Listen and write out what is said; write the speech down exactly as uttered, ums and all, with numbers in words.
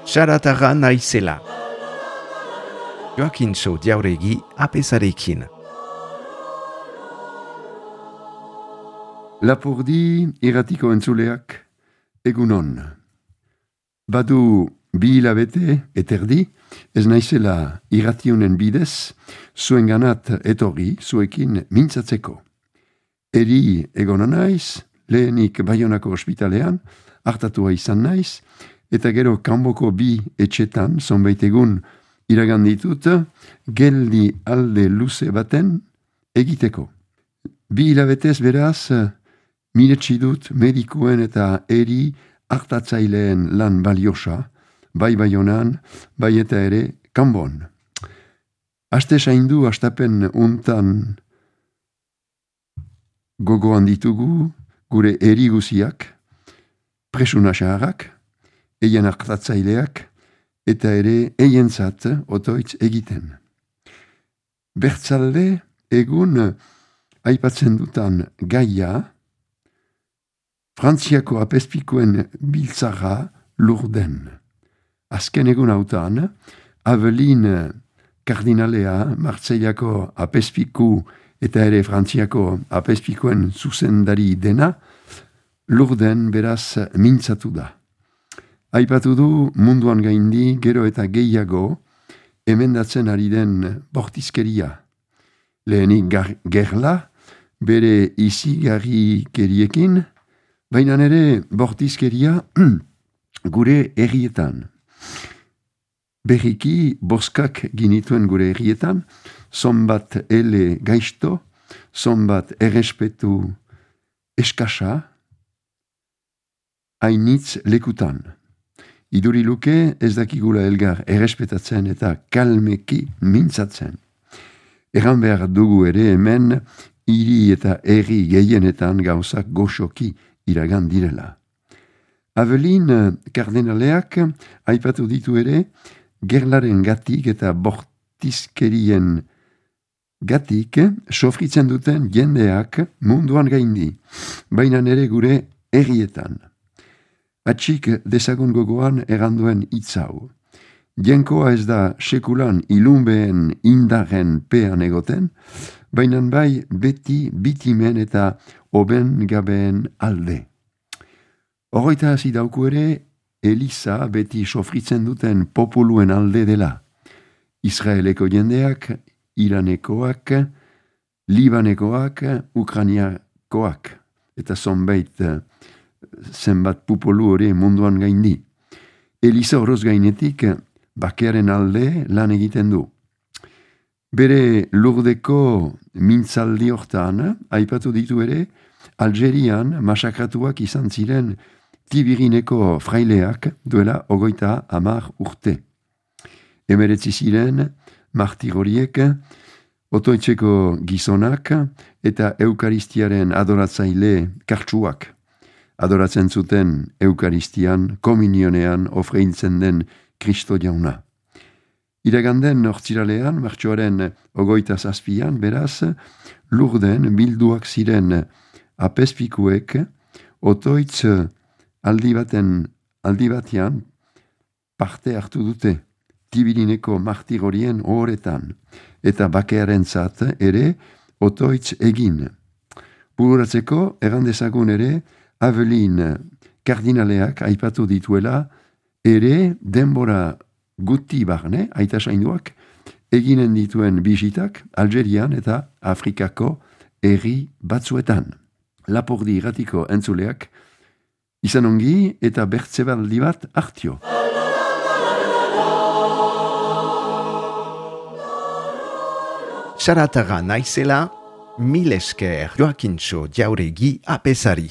Saratarra naizela. Joakintxo Jauregi apesarekin. Lapurdi irratiko entzuleak egunon. Badu bi hilabete eterdi, ez naizela irrationen bidez, zuen ganat etorri zuekin mintzatzeko. Eri egona naiz, lehenik Baionako ospitalean, hartatua izan naiz, eta gero kanboko bi etxetan, zonbait egun iraganditut, geldi alde luze baten egiteko. Bi hilabetez beraz, miretsi dut medikuen eta eri hartatzaileen lan baliosa, bai Baionan, bai eta ere kanbon. Aste zaindu astapen untan gogoan ditugu gure eri guziak, presuna xaharrak, eien hartatzaileak, eta ere eientzat otoitz egiten. Bertzalde egun aipatzen dutan gaia, Frantziako apezpikuen biltzarra Lurden. Azken egun hautan, Avelin kardinalea Marseillako apezpiku eta ere Frantziako apezpikuen zuzendari dena, Lurden beraz mintzatu da. Aipatu du munduan gaindi gero eta gehiago emendatzen ari den bortizkeria. Lehenik gerla, bere izigarri keriekin, baina ere bortizkeria gure herrietan. Berriki boskak ginituen gure herrietan, zonbat ele gaizto, zonbat errespetu eskasa, hainitz lekutan. Iduri luke ez dakigula elgar errespetatzen eta kalmeki mintzatzen. Erran behar dugu ere hemen hiri eta herri gehienetan gauzak goxoki iragan direla. Avelin kardinaleak aipatu ditu ere gerlaren gatik eta bortizkerien gatik sofritzen duten jendeak munduan gaindi, baina ere gure herrietan. Atxik dezagun gogoan erranduen hitzau. Jenkoa ez da sekulan ilunbeen indarren pean egoten, baina bai beti bitimen eta oben gabeen alde. Horroita hasi dauku ere, Eliza beti sofritzen duten populuen alde dela. Israeleko jendeak, Iranekoak, Libanekoak, Ukrainiakoak, eta zonbait zenbat populu hori munduan gaindi. Eliza horoz gainetik, bakearen alde lan egiten du. Bere Lurdeko mintzaldi hortan, aipatu ditu ere, Algerian masakratuak izan ziren Tibirineko fraileak duela ogoita hamar urte. Emeretzi ziren martir horiek, otoitzeko gizonak eta eukaristiaren adoratzaile kartsuak. Adoratzen zuten eukaristian, komunionean ofreintzen den Kristo jauna. Iraganden hortziralean, martxoaren ogoita zazpian, beraz, Lurden bilduak ziren apezpikuek, otoitz aldi baten, aldi batean parte hartu dute Tibirineko martir horien ohoretan, eta bakearen zat ere otoitz egin. Bururatzeko, errandezagun ere, Avelin kardinaleak aipatu dituela, ere denbora guti barne, aita sainduak, eginen dituen bisitak Algerian eta Afrikako herri batzuetan. Lapurdi irratiko entzuleak, izan ongi eta bertzebaldi bat hartio. Saratarra naizela, mil esker Joakintxo Jauregi apesari.